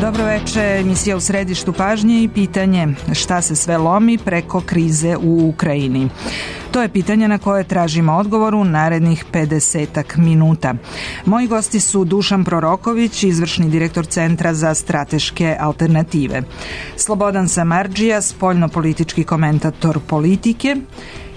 Dobro večer, emisija u središtu pažnje i pitanje šta se sve lomi preko krize u Ukrajini. To je pitanje na koje tražimo odgovor u narednih 50 minuta. Moji gosti su Dušan Proroković, izvršni direktor Centra za strateške alternative, Slobodan Samardžija, spoljnopolitički komentator Politike,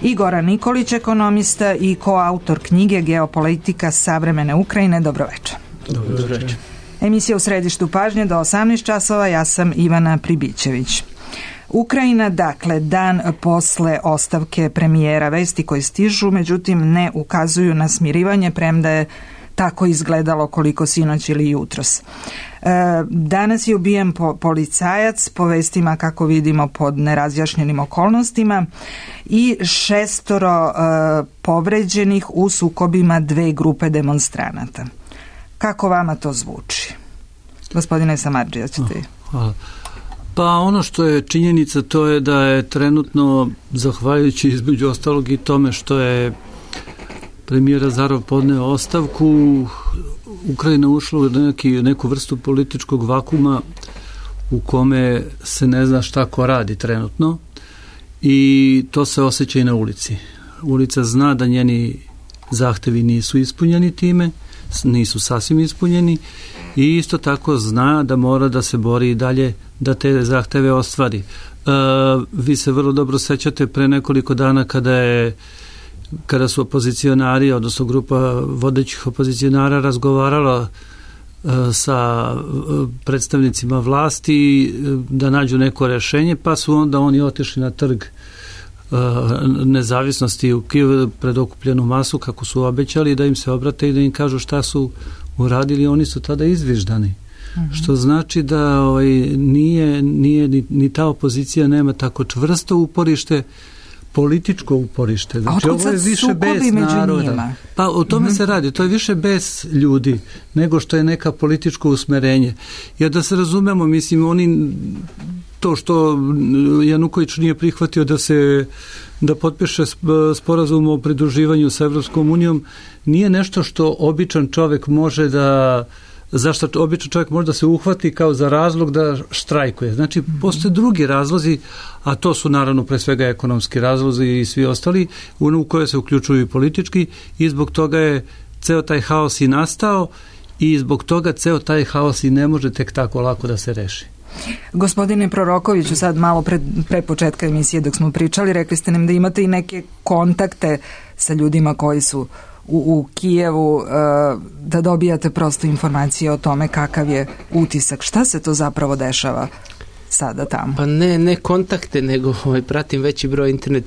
i Goran Nikolić, ekonomista i koautor knjige Geopolitika savremene Ukrajine. Dobro večer. Dobro večer. Emisija u središtu pažnje do 18 časova, ja sam Ivana Pribićević. Ukrajina, dakle, dan posle ostavke premijera, vesti koje stižu, međutim ne ukazuju na smirivanje, premda je tako izgledalo koliko sinoć ili jutros. Danas je ubijen policajac, po vestima kako vidimo pod nerazjašnjenim okolnostima, i 6 povređenih u sukobima 2 grupe demonstranata. Kako vama to zvuči? Gospodine Samardžija, ćete... Hvala. Pa ono što je činjenica, to je da je trenutno, zahvaljujući između ostalog i tome što je premijer Azarov podneo ostavku, Ukrajina ušla u neku vrstu političkog vakuma u kome se ne zna šta ko radi trenutno, i to se osjeća i na ulici. Ulica zna da njeni zahtevi nisu ispunjeni time, nisu sasvim ispunjeni, i isto tako zna da mora da se bori i dalje da te zahteve ostvari. Vi se vrlo dobro sećate pre nekoliko dana kada su opozicionari, odnosno grupa vodećih opozicionara razgovarala sa predstavnicima vlasti da nađu neko rešenje, pa su onda oni otišli na trg nezavisnosti u Kijevu pred okupljenu masu, kako su obećali, da im se obrate i da im kažu šta su uradili. Oni su tada izviždani. Što znači da nije ni ta opozicija nema tako čvrsto uporište, političko uporište. Znači, ovo je više bez naroda. Pa o tome se radi. To je više bez ljudi nego što je neka političko usmerenje. Jer da se razumemo, mislim, oni to što Januković nije prihvatio da potpiše sporazum o pridruživanju sa Evropskom unijom nije nešto što običan čovjek može zašto običan čovjek može da se uhvati kao za razlog da štrajkuje. Znači, postoje drugi razlozi, a to su naravno pre svega ekonomski razlozi i svi ostali, u koje se uključuju i politički, i zbog toga je ceo taj haos i nastao, i zbog toga ceo taj haos i ne može tek tako lako da se reši. Gospodine Prorokoviću, sad malo pre početka emisije dok smo pričali, rekli ste nam da imate i neke kontakte sa ljudima koji su u Kijevu, da dobijate prosto informacije o tome kakav je utisak. Šta se to zapravo dešava sada tamo? Pa ne kontakte, nego pratim veći broj internet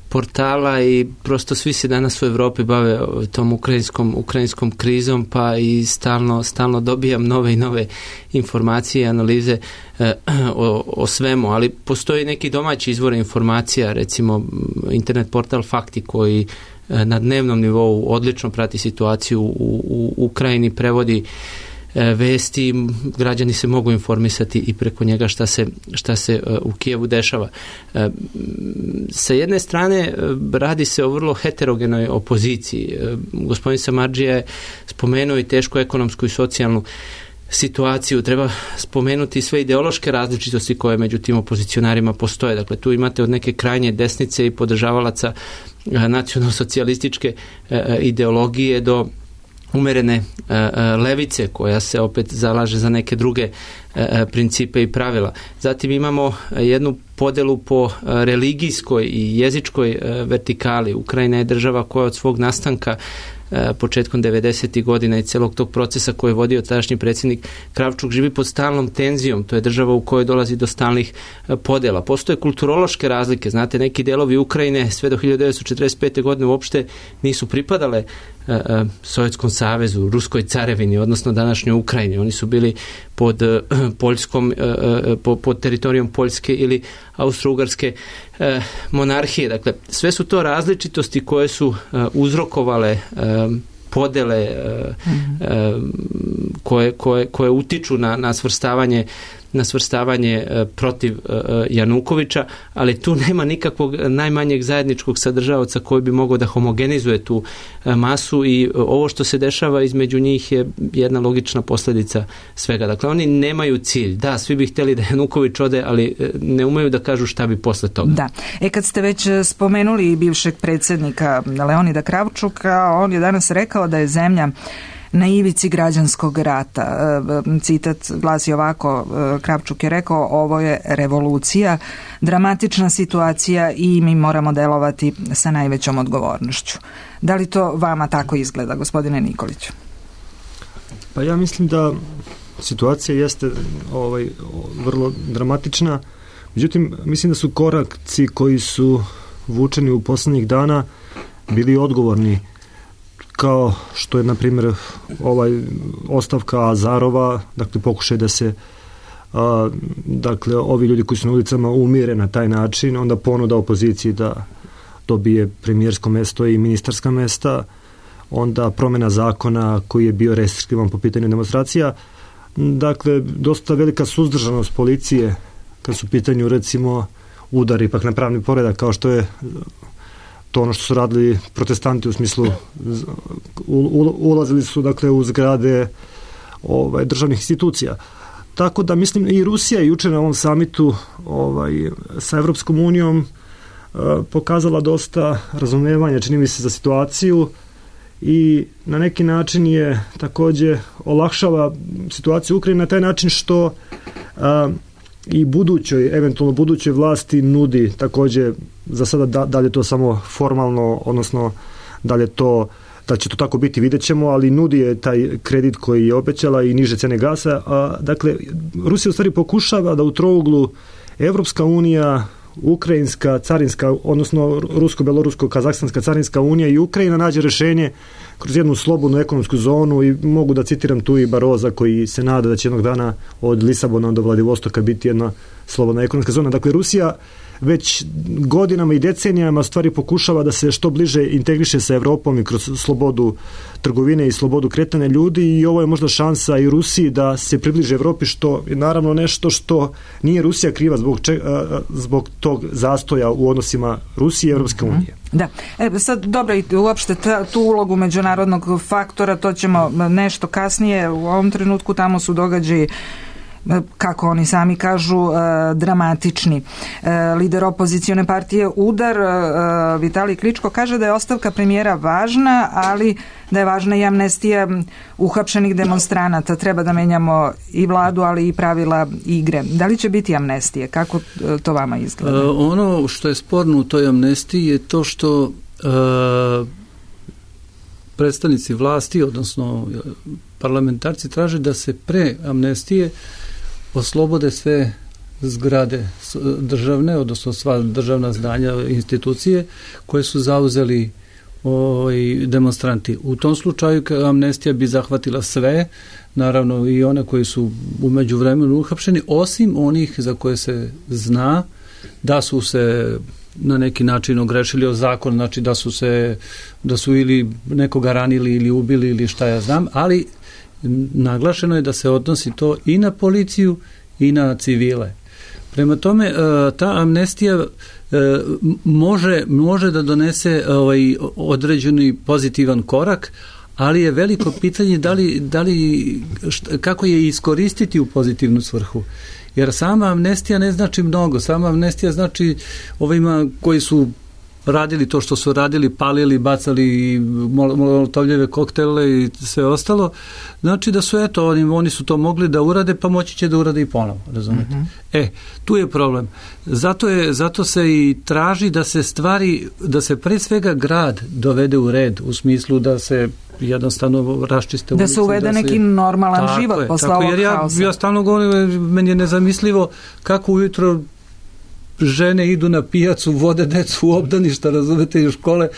portala i prosto svi se danas u Evropi bave tom ukrajinskom krizom, pa i stalno dobijam nove i nove informacije i analize o svemu, ali postoji neki domaći izvor informacija, recimo internet portal Fakti, koji na dnevnom nivou odlično prati situaciju u Ukrajini, prevodi vesti, građani se mogu informisati i preko njega šta se u Kijevu dešava. Sa jedne strane radi se o vrlo heterogenoj opoziciji. Gospodin Samardžija je spomenuo i tešku ekonomsku i socijalnu situaciju. Treba spomenuti sve ideološke različitosti koje među tim opozicionarima postoje. Dakle, tu imate od neke krajnje desnice i podržavalaca nacionalsocijalističke ideologije do umerene levice koja se opet zalaže za neke druge principe i pravila. Zatim imamo jednu podelu po religijskoj i jezičkoj vertikali. Ukrajina je država koja od svog nastanka početkom 90. godina i celog tog procesa koji je vodio tadašnji predsjednik Kravčuk živi pod stalnom tenzijom. To je država u kojoj dolazi do stalnih podela. Postoje kulturološke razlike. Znate, neki delovi Ukrajine sve do 1945. godine uopšte nisu pripadale Sovjetskom savezu, Ruskoj carevini, odnosno današnjoj Ukrajini. Oni su bili pod pod teritorijom Poljske ili Austro-Ugarske monarhije. Dakle, sve su to različitosti koje su uzrokovale podele koje utiču na svrstavanje na svrstavanje protiv Janukovića, ali tu nema nikakvog najmanjeg zajedničkog sadržavaoca koji bi mogao da homogenizuje tu masu i ovo što se dešava između njih je jedna logična posljedica svega. Dakle, oni nemaju cilj. Da, svi bi htjeli da Januković ode, ali ne umeju da kažu šta bi posle toga. Da. Kad ste već spomenuli bivšeg predsjednika Leonida Kravčuka, on je danas rekao da je zemlja na ivici građanskog rata. Citat glasi ovako, Kravčuk je rekao, ovo je revolucija, dramatična situacija i mi moramo delovati sa najvećom odgovornošću. Da li to vama tako izgleda, gospodine Nikoliću? Pa ja mislim da situacija jeste vrlo dramatična, međutim mislim da su koraci koji su vučeni u posljednjih dana bili odgovorni, kao što je na primjer ostavka Azarova, dakle pokušaj da se dakle ovi ljudi koji su na ulicama umire na taj način, onda ponuda opoziciji da dobije premijersko mesto i ministarska mesta, onda promjena zakona koji je bio restriktivan po pitanju demonstracija. Dakle, dosta velika suzdržanost policije kad su u pitanju recimo udari ipak na pravni poredak, kao što je to ono što su radili protestanti, u smislu ulazili su dakle u zgrade državnih institucija. Tako da mislim i Rusija je jučer na ovom samitu sa Evropskom unijom pokazala dosta razumijevanja, čini mi se, za situaciju i na neki način je također olakšava situaciju u Ukrajini na taj način što i eventualno budućoj vlasti nudi također, za sada da li je to samo formalno, odnosno da će to tako biti, vidjet ćemo, ali nudi je taj kredit koji je obećala i niže cene gasa. Dakle, Rusija u stvari pokušava da u trouglu Evropska unija, Ukrajinska carinska, odnosno Rusko-Belorusko-Kazahstanska carinska unija i Ukrajina nađe rješenje kroz jednu slobodnu ekonomsku zonu i mogu da citiram tu i Baroza koji se nada da će jednog dana od Lisabona do Vladivostoka biti jedna slobodna ekonomska zona. Dakle, Rusija već godinama i decenijama stvari pokušava da se što bliže integriše sa Evropom i kroz slobodu trgovine i slobodu kretanja ljudi i ovo je možda šansa i Rusiji da se približe Evropi, što je naravno nešto što nije Rusija kriva zbog tog zastoja u odnosima Rusije i Evropske unije. Da. Sad dobro, i uopšte tu ulogu međunarodnog faktora, to ćemo nešto kasnije. U ovom trenutku tamo su događaji, kako oni sami kažu, dramatični. Lider opozicione partije Udar, Vitalij Kličko, kaže da je ostavka premijera važna, ali da je važna i amnestija uhapšenih demonstranata. Treba da menjamo i vladu, ali i pravila igre. Da li će biti amnestije? Kako to vama izgleda? Ono što je sporno u toj amnestiji je to što predstavnici vlasti, odnosno parlamentarci, traže da se pre amnestije oslobode sve zgrade državne, odnosno sva državna zdanja, institucije koje su zauzeli demonstranti. U tom slučaju amnestija bi zahvatila sve, naravno i one koji su u međuvremenu uhapšeni, osim onih za koje se zna da su se na neki način ogrešili o zakon, znači da su ili nekoga ranili ili ubili ili šta ja znam, ali naglašeno je da se odnosi to i na policiju i na civile. Prema tome, ta amnestija može da donese određeni pozitivan korak, ali je veliko pitanje kako je iskoristiti u pozitivnu svrhu. Jer sama amnestija ne znači mnogo. Sama amnestija znači ovima koji su radili to što su radili, palili, bacali molotovljeve koktele i sve ostalo, znači da su oni su to mogli da urade, pa moći će da urade i ponovo, razumete? Mm-hmm. Tu je problem. Zato se i traži da se pre svega grad dovede u red, u smislu da se jednostavno raščiste ulice. Da se uvede neki normalan život posle ovog haosa. Ja stalno govorim, meni je nezamislivo kako ujutro žene idu na pijacu, vode decu u obdaništa, razumete, i u škole.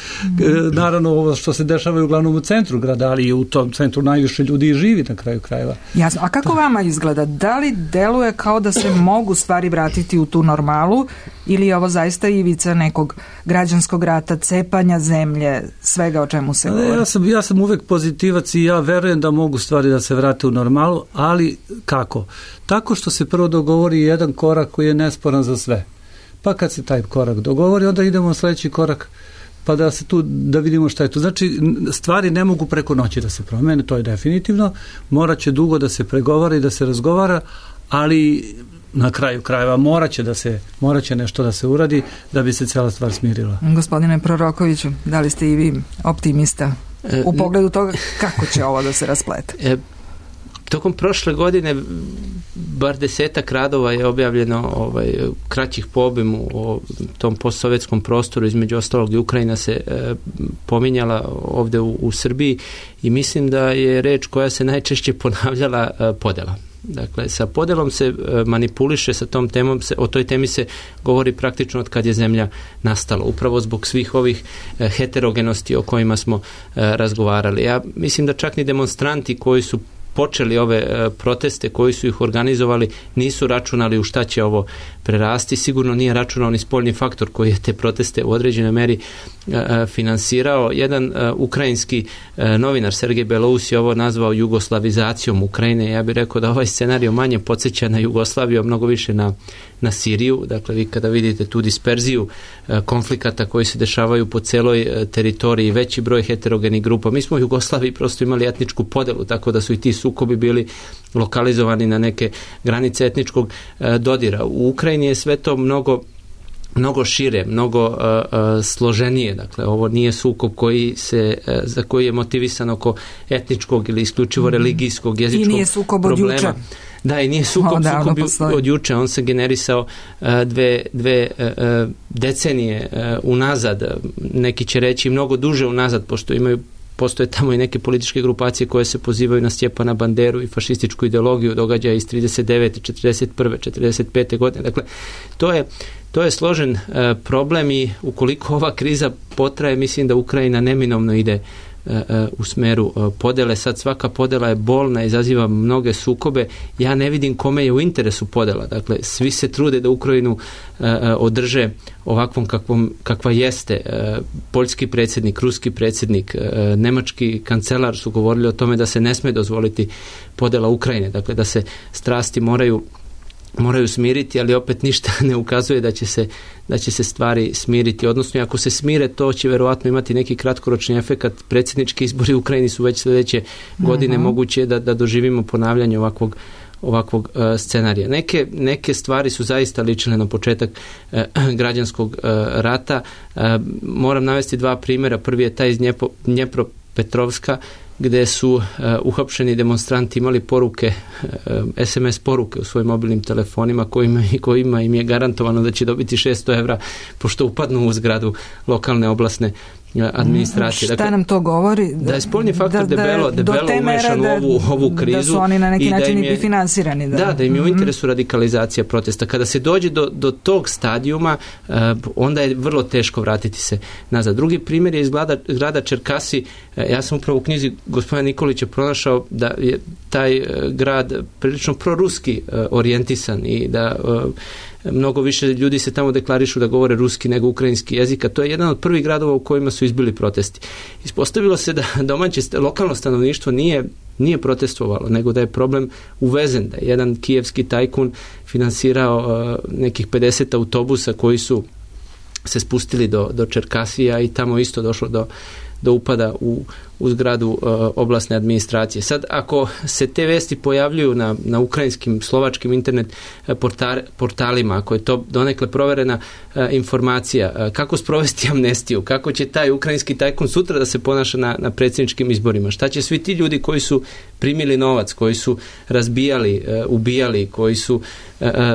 Naravno, ovo što se dešava uglavnom u centru grada, ali i u tom centru najviše ljudi i živi na kraju krajeva. Jasno. A kako vama izgleda? Da li deluje kao da se mogu stvari vratiti u tu normalu ili je ovo zaista ivica nekog građanskog rata, cepanja zemlje, svega o čemu se govori? Ja sam uvek pozitivac i ja verujem da mogu stvari da se vrate u normalu, ali kako? Tako što se prvo dogovori jedan korak koji je nesporan za sve. Pa kad se taj korak dogovori, onda idemo na sledeći korak, pa da vidimo šta je tu. Znači, stvari ne mogu preko noći da se promene, to je definitivno. Morat će dugo da se pregovara i da se razgovara, ali na kraju krajeva morat će nešto da se uradi da bi se cela stvar smirila. Gospodine Prorokoviću, da li ste i vi optimista u pogledu toga kako će ovo da se rasplete? Tokom prošle godine bar 10 radova je objavljeno kraćih po obimu o tom postsovjetskom prostoru, između ostalog i Ukrajina se pominjala ovde u Srbiji i mislim da je reč koja se najčešće ponavljala podela. Dakle, sa podelom se manipuliše, sa tom temom, o toj temi se govori praktično od kad je zemlja nastala, upravo zbog svih ovih heterogenosti o kojima smo razgovarali. Ja mislim da čak ni demonstranti koji su počeli ove proteste, koji su ih organizovali, nisu računali u šta će ovo prerasti. Sigurno nije računao ni spoljni faktor koji je te proteste u određenoj meri finansirao. Jedan ukrajinski novinar, Sergej Belous, je ovo nazvao jugoslavizacijom Ukrajine. Ja bih rekao da ovaj scenario manje podsjeća na Jugoslaviju, a mnogo više na Siriju. Dakle, vi kada vidite tu disperziju konflikata koji se dešavaju po celoj teritoriji, veći broj heterogenih grupa. Mi smo u Jugoslaviji prosto imali etničku podelu, tako da su i ti sukobi bili lokalizovani na neke granice etničkog dodira. U Ukrajini je sve to mnogo šire, mnogo složenije. Dakle, ovo nije sukob za koji je motivisan oko etničkog ili isključivo religijskog, jezičkog problema. I nije sukob od juče. Da, i nije sukob od juče. On se generisao dve decenije unazad. Neki će reći mnogo duže unazad, pošto postoje tamo i neke političke grupacije koje se pozivaju na Stjepana Banderu i fašističku ideologiju događaja iz 39. 41. 45. godine. Dakle, to je složen problem i ukoliko ova kriza potraje, mislim da Ukrajina neminovno ide u smeru podele. Sad svaka podela je bolna, izaziva mnoge sukobe. Ja ne vidim kome je u interesu podela. Dakle, svi se trude da Ukrajinu održe ovakvom kakva jeste. Poljski predsjednik, ruski predsjednik, nemački kancelar su govorili o tome da se ne sme dozvoliti podela Ukrajine. Dakle, da se strasti moraju smiriti, ali opet ništa ne ukazuje da će se stvari smiriti. Odnosno, ako se smire, to će verovatno imati neki kratkoročni efekat. Predsjednički izbori u Ukrajini su već sljedeće godine, moguće je da doživimo ponavljanje ovakvog scenarija. Neke stvari su zaista ličile na početak građanskog rata. Moram navesti 2 primjera. Prvi je taj iz Dnjepropetrovska, gde su uhapšeni demonstranti imali poruke, SMS poruke u svojim mobilnim telefonima kojima im je garantovano da će dobiti 600 evra pošto upadnu u zgradu lokalne oblasne administracije. Šta nam to govori? Da je spoljni faktor debelo umešan u ovu krizu. Da su oni na neki način i finansirani. Da im je u interesu radikalizacija protesta. Kada se dođe do tog stadijuma, onda je vrlo teško vratiti se nazad. Drugi primjer je iz grada Čerkasi. Ja sam upravo u knjizi gospodina Nikolića pronašao da je taj grad prilično proruski orijentisan i da mnogo više ljudi se tamo deklarišu da govore ruski nego ukrajinski jezik, a to je jedan od prvih gradova u kojima su izbili protesti. Ispostavilo se da domaće lokalno stanovništvo nije protestovalo, nego da je problem uvezen, da je jedan kijevski tajkun finansirao nekih 50 autobusa koji su se spustili do Čerkasija i tamo isto došlo do upada u zgradu oblasne administracije. Sad, ako se te vesti pojavljuju na ukrajinskim, slovačkim internet portalima, ako je to donekle proverena informacija, kako sprovesti amnestiju, kako će taj ukrajinski tajkun sutra da se ponaša na predsjedničkim izborima, šta će svi ti ljudi koji su primili novac, koji su razbijali, ubijali, koji su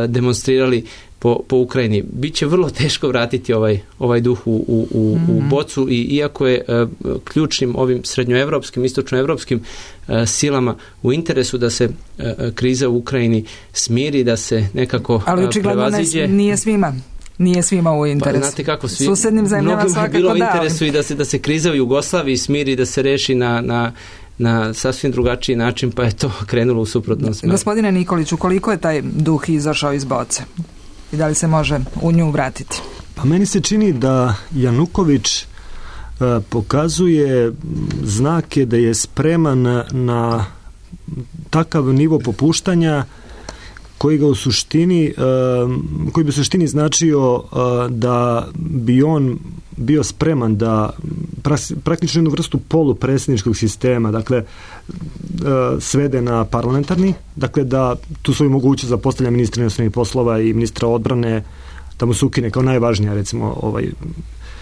demonstrirali po Ukrajini. Biće vrlo teško vratiti ovaj duh u bocu i iako je ključnim ovim srednjoevropskim, istočnoevropskim silama u interesu da se kriza u Ukrajini smiri, da se nekako prevaziđe. Ali očigledno nije svima. nije svima u interesu. Pa, znate kako, susednim zemljama svakako bilo u interesu i da se kriza u Jugoslaviji smiri, da se reši na sasvim drugačiji način, pa je to krenulo u suprotnom smeru. Gospodine Nikoliću, koliko je taj duh izašao iz boce? I da li se može u nju vratiti? Pa meni se čini da Januković pokazuje znake da je spreman na takav nivo popuštanja koji bi u suštini značio da bi on bio spreman da praktično jednu vrstu polupredsjedničkog sistema, dakle svede na parlamentarni, dakle da tu svoju mogućnost za postavljanje ministra inostranih poslova i ministra odbrane da mu se ukine kao najvažnija recimo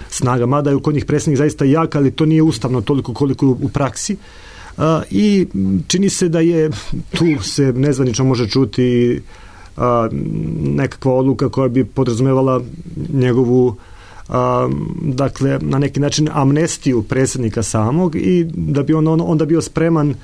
snaga, mada je kod njih predsjednik zaista jak, ali to nije ustavno toliko koliko u praksi. I čini se da je tu se nezvanično može čuti nekakva odluka koja bi podrazumevala njegovu dakle na neki način amnestiju predsjednika samog i da bi on onda bio spreman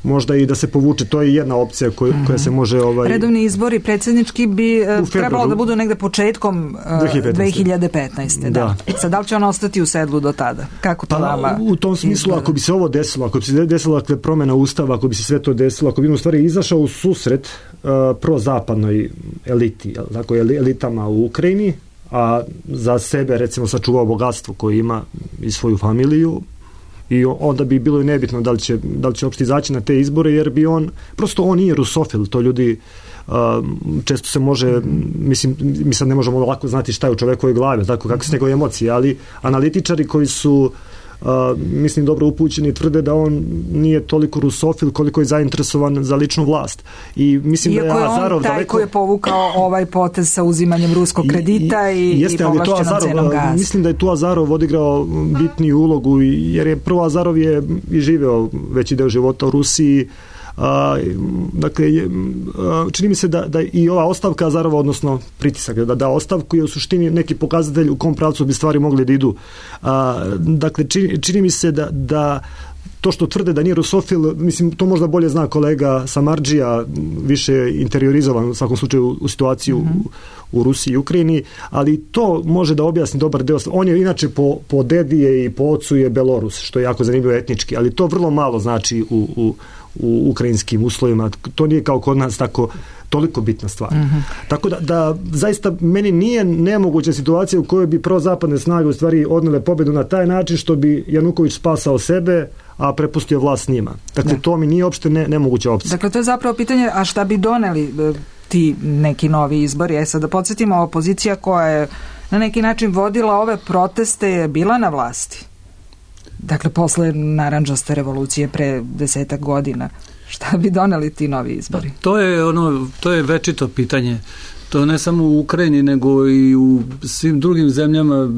možda i da se povuče. To je jedna opcija koja se može... Redovni izbori predsjednički bi trebalo da budu negde početkom 2015. Da. Sad, da li će on ostati u sedlu do tada? Kako to vama u tom smislu, izgleda? Ako bi se ovo desilo, ako bi se desila promjena ustava, ako bi se sve to desilo, ako bi u stvari izašao u susret prozapadnoj eliti, tako elitama u Ukrajini, a za sebe recimo sačuvao bogatstvo koje ima i svoju familiju, i onda bi bilo i nebitno da li će uopšte izaći na te izbore, jer bi on nije rusofil, to ljudi često se može, mislim, mi sad ne možemo lako znati šta je u čovekovoj glavi, tako kako su njegove emocije, ali analitičari koji su mislim dobro upućeni tvrde da on nije toliko rusofil koliko je zainteresovan za ličnu vlast. I mislim iako da je Azarov taj koji je povukao ovaj potez sa uzimanjem ruskog kredita i povlašćenom cenom gaza. Mislim da je tu Azarov odigrao bitniju ulogu, jer je prvo Azarov je i živeo veći deo života u Rusiji. Dakle, čini mi se da i ova ostavka Azarova, odnosno pritisak da ostavku je u suštini neki pokazatelj u kom pravcu bi stvari mogli da idu. Dakle, čini mi se da to što tvrde da nije rusofil, mislim, to možda bolje zna kolega Samardžija, više interiorizovan u svakom slučaju u situaciju u Rusiji i Ukrajini, ali to može da objasni dobar deo. On je inače po dedije i po ocu je Belorus, što je jako zanimljivo etnički, ali to vrlo malo znači u ukrajinskim uslovima. To nije kao kod nas toliko bitna stvar. Tako da zaista meni nije nemoguća situacija u kojoj bi prozapadne snage u stvari odnele pobedu na taj način što bi Januković spasao sebe, a prepustio vlast njima. Dakle, to mi nije uopšte nemoguća opcija. Dakle, to je zapravo pitanje, a šta bi doneli ti neki novi izbori? Sad da podsjetimo, opozicija koja je na neki način vodila ove proteste je bila na vlasti. Dakle, posle narandžaste revolucije pre 10 godina. Šta bi doneli ti novi izbori? To je večito pitanje. To ne samo u Ukrajini, nego i u svim drugim zemljama,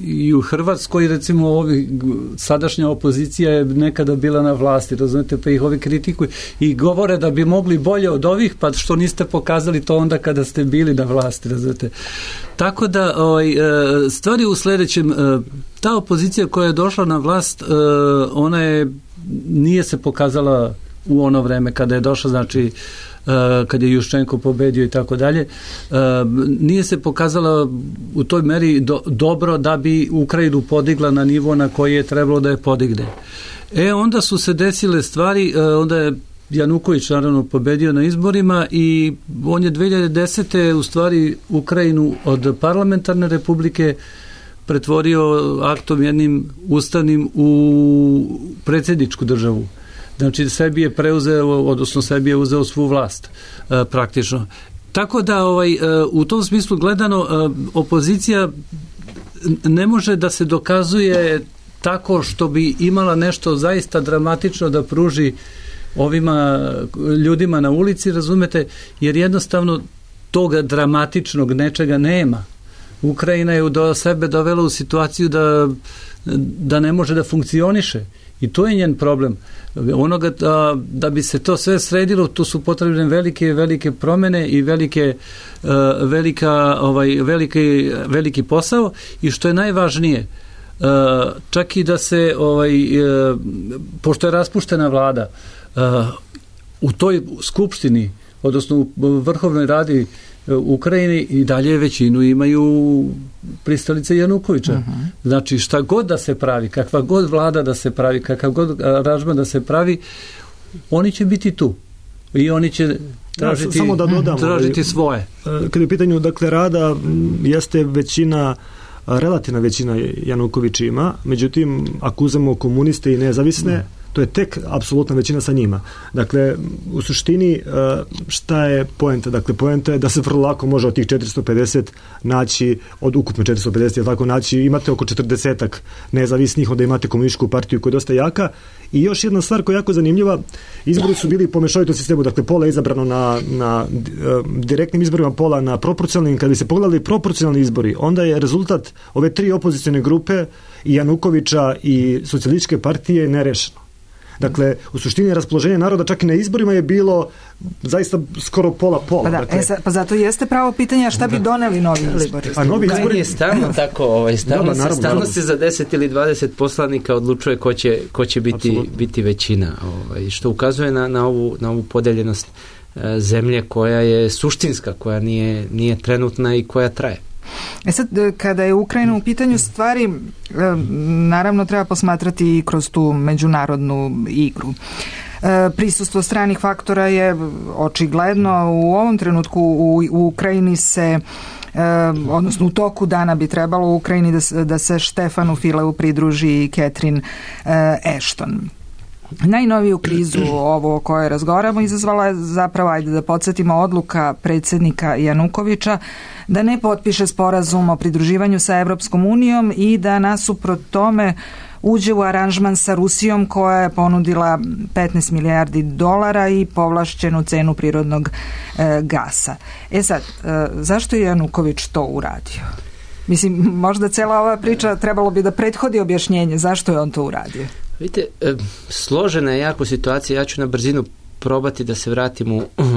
i u Hrvatskoj, recimo, sadašnja opozicija je nekada bila na vlasti, razumete, pa ih ovi kritikuju i govore da bi mogli bolje od ovih, pa što niste pokazali to onda kada ste bili na vlasti, razumete. Tako da stvari u sledećem, ta opozicija koja je došla na vlast, ona nije se pokazala u ono vreme kada je došla, znači kad je Juščenko pobedio i tako dalje, nije se pokazala u toj meri dobro da bi Ukrajinu podigla na nivo na koji je trebalo da je podigne. Onda su se desile stvari, onda je Januković naravno pobedio na izborima i on je 2010. u stvari Ukrajinu od parlamentarne republike pretvorio aktom jednim ustavnim u predsjedničku državu. Znači, sebi je preuzeo, odnosno sebi je uzeo svu vlast praktično. Tako da u tom smislu gledano opozicija ne može da se dokazuje tako što bi imala nešto zaista dramatično da pruži ovima ljudima na ulici, razumete, jer jednostavno toga dramatičnog nečega nema. Ukrajina je do sebe dovela u situaciju da ne može da funkcioniše. I to je njen problem. Da bi se to sve sredilo, tu su potrebne velike promjene i veliki posao, i što je najvažnije, čak i da se pošto je raspuštena vlada, u toj skupštini odnosno u Vrhovnoj radi Ukrajini i dalje većinu imaju pristalice Janukovića. Znači šta god da se pravi, kakva god vlada da se pravi, kakav god aranžman da se pravi, oni će biti tu. I oni će tražiti, samo da dodam, tražiti svoje. Kad je u pitanju dakle rada, jeste većina, relativna većina Januković ima, međutim ako uzmemo komuniste i nezavisne, to je tek apsolutna većina sa njima. Dakle, u suštini šta je poenta? Dakle, poenta je da se vrlo lako može od tih 450 naći, od ukupno 450, je tako, naći, imate oko 40-ak nezavisnih, onda imate komunističku partiju koja je dosta jaka. I još jedna stvar koja je jako zanimljiva, izbori su bili po mešovitom sistemu, dakle pola je izabrano na direktnim izborima, pola na proporcionalnim. Kad bi se pogledali proporcionalni izbori, onda je rezultat ove tri opozicione grupe i Janukovića i socijalističke partije nerešeno. Dakle, u suštini raspoloženje naroda čak i na izborima je bilo zaista skoro pola-pola. Pa, da, dakle, pa zato jeste pravo pitanje šta bi doneli novi izbori. A novi izbori je stalno tako, stalno se za 10 ili 20 poslanika odlučuje ko će biti većina, što ukazuje na ovu podeljenost zemlje koja je suštinska, koja nije trenutna i koja traje. Sad, kada je Ukrajina u pitanju stvari, naravno treba posmatrati i kroz tu međunarodnu igru. Prisustvo stranih faktora je očigledno. U ovom trenutku u Ukrajini se, odnosno u toku dana bi trebalo u Ukrajini da se Štefanu Fileu pridruži Catherine Ashton. Najnoviju krizu ovo o kojoj razgovaramo izazvala je zapravo, ajde da podsjetimo, odluka predsjednika Janukovića da ne potpiše sporazum o pridruživanju sa Evropskom unijom i da nasuprot tome uđe u aranžman sa Rusijom koja je ponudila 15 milijardi dolara i povlašćenu cenu prirodnog gasa. Sad, zašto je Januković to uradio? Mislim, možda cijela ova priča trebalo bi da prethodi objašnjenje zašto je on to uradio. Vidite, složena je jako situacija, ja ću na brzinu probati da se vratim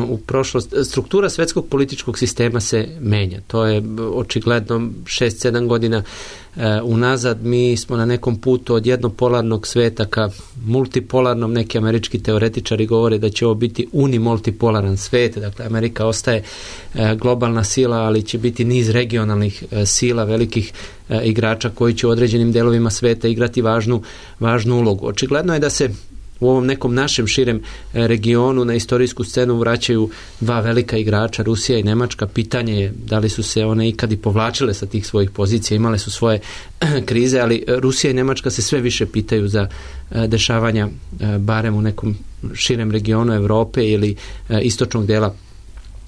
u prošlost. Struktura svetskog političkog sistema se menja. To je očigledno 6-7 godina unazad. Mi smo na nekom putu od jednopolarnog sveta ka multipolarnom. Neki američki teoretičari govore da će ovo biti unimultipolaran svet. Dakle, Amerika ostaje globalna sila, ali će biti niz regionalnih sila, velikih igrača koji će u određenim delovima sveta igrati važnu ulogu. Očigledno je da se u ovom nekom našem širem regionu na istorijsku scenu vraćaju dva velika igrača, Rusija i Nemačka. Pitanje je da li su se one ikad i povlačile sa tih svojih pozicija, imale su svoje krize, ali Rusija i Nemačka se sve više pitaju za dešavanja barem u nekom širem regionu Europe ili istočnog dela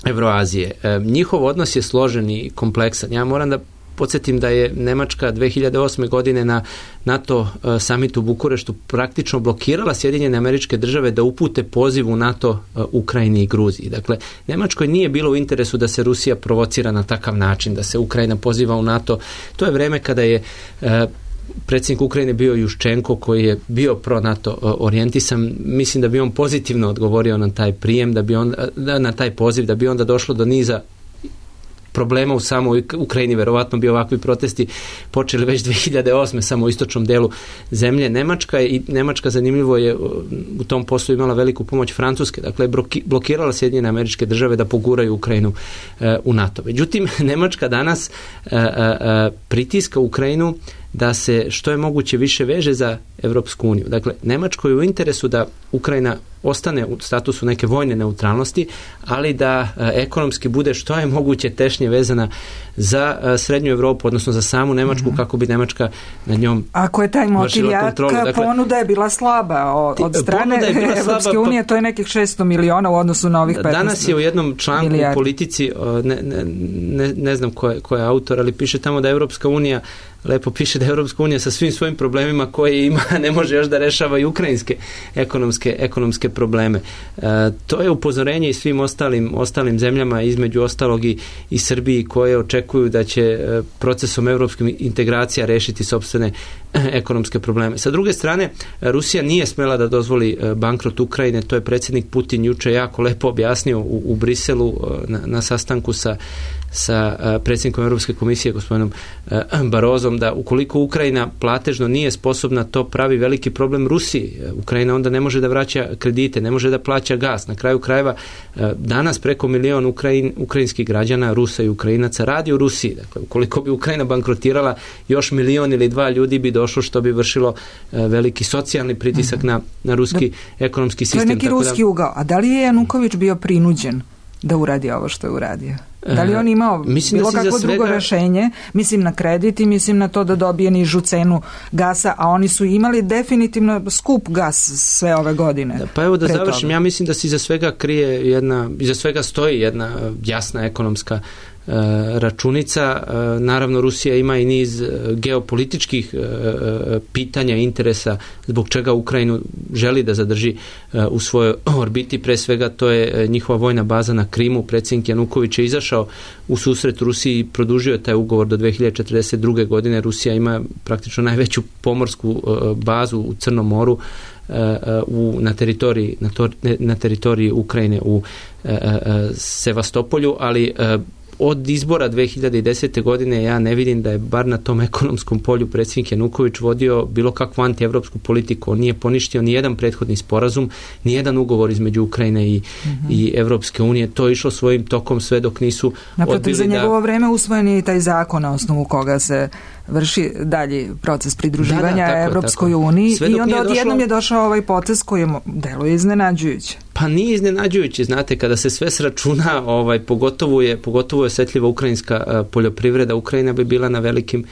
Evroazije. Njihov odnos je složen i kompleksan. Ja moram da podsjetim da je Nemačka 2008. godine na NATO samitu u Bukureštu praktično blokirala Sjedinjene Američke Države da upute poziv u NATO Ukrajini i Gruziji. Dakle, Nemačkoj nije bilo u interesu da se Rusija provocira na takav način, da se Ukrajina poziva u NATO. To je vreme kada je predsjednik Ukrajine bio Juščenko, koji je bio pro-NATO orijentisan. Mislim da bi on pozitivno odgovorio na taj prijem, na taj poziv, da bi onda došlo do niza problema u samoj Ukrajini. Verovatno bi ovakvi protesti počeli već 2008. samo u istočnom delu zemlje. Nemačka zanimljivo je u tom poslu imala veliku pomoć Francuske. Dakle, blokirala Sjedinjene Američke Države da poguraju Ukrajinu u NATO. Međutim, Nemačka danas pritiska Ukrajinu da se što je moguće više veže za Evropsku uniju. Dakle, Nemačkoj je u interesu da Ukrajina ostane u statusu neke vojne neutralnosti, ali da ekonomski bude što je moguće tešnje vezana za srednju Europu, odnosno za samu Nemačku, kako bi Nemačka na njom ako je taj motiv jak, ponuda je bila slaba od strane Evropske unije, to je nekih 600 miliona u odnosu na ovih 15. Danas je u jednom članku u Politici, ne znam ko je autor, ali piše tamo da Evropska unija, lepo piše da Evropska unija sa svim svojim problemima koje ima ne može još da rešava i ukrajinske ekonomske probleme. To je upozorenje i svim ostalim zemljama, između ostalog i Srbiji, koje očekuju da će procesom evropskih integracija rešiti sopstvene ekonomske probleme. Sa druge strane, Rusija nije smela da dozvoli bankrot Ukrajine, to je predsjednik Putin juče jako lepo objasnio u Briselu na sastanku sa predsjednikom Europske komisije gospodinom Barozom, da ukoliko Ukrajina platežno nije sposobna, to pravi veliki problem Rusiji. Ukrajina onda ne može da vraća kredite, ne može da plaća gas. Na kraju krajeva danas preko 1 milion ukrajinskih građana, Rusa i Ukrajinaca radi u Rusiji. Dakle, ukoliko bi Ukrajina bankrotirala, još 1 milion ili 2 ljudi bi došlo, što bi vršilo veliki socijalni pritisak na ruski ekonomski sistem. To je neki ruski ugao. A da li je Januković bio prinuđen da uradi ovo što je uradio? Da li on imao bilo kakvo drugo rešenje? Mislim na kredit i mislim na to da dobije nižu cenu gasa, a oni su imali definitivno skup gas sve ove godine. Pa evo da završim, ja mislim da se iza svega iza svega stoji jedna jasna ekonomska računica. Naravno, Rusija ima i niz geopolitičkih pitanja i interesa zbog čega Ukrajinu želi da zadrži u svojoj orbiti. Pre svega to je njihova vojna baza na Krimu. Predsjednik Januković je izašao u susret Rusiji i produžio taj ugovor do 2042. godine. Rusija ima praktično najveću pomorsku bazu u Crnom moru na teritoriji Ukrajine u Sevastopolju, ali od izbora 2010. godine ja ne vidim da je bar na tom ekonomskom polju predsjednik Januković vodio bilo kakvu antievropsku politiku. On nije poništio ni jedan prethodni sporazum, ni jedan ugovor između Ukrajine i Evropske unije. To je išlo svojim tokom sve dok nisu odbili za njegovo vreme usvojen je i taj zakon na osnovu koga se vrši dalji proces pridruživanja Evropskoj uniji i onda odjednom je došao ovaj potez koji deluje iznenađujuće. Pa nije iznenađujući, znate, kada se sve sračuna, pogotovo je osjetljiva ukrajinska poljoprivreda, Ukrajina bi bila na velikim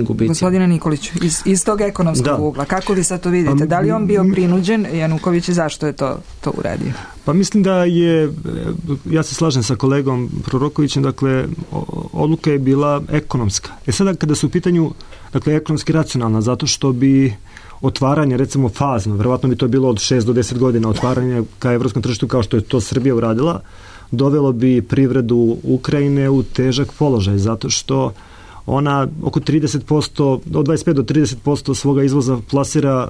gubicima. Gospodine Nikoliću, iz tog ekonomskog ugla, kako vi sad to vidite? Da li on bio prinuđen, Januković, i zašto je to uradio? Pa mislim da ja se slažem sa kolegom Prorokovićem, dakle, odluka je bila ekonomska. Sada kada su u pitanju, dakle, ekonomski racionalna, zato što bi otvaranje, recimo fazno, verovatno bi to bilo od 6 do 10 godina otvaranje ka evropskom tržištu kao što je to Srbija uradila, dovelo bi privredu Ukrajine u težak položaj, zato što ona oko 30%, od 25 do 30% svoga izvoza plasira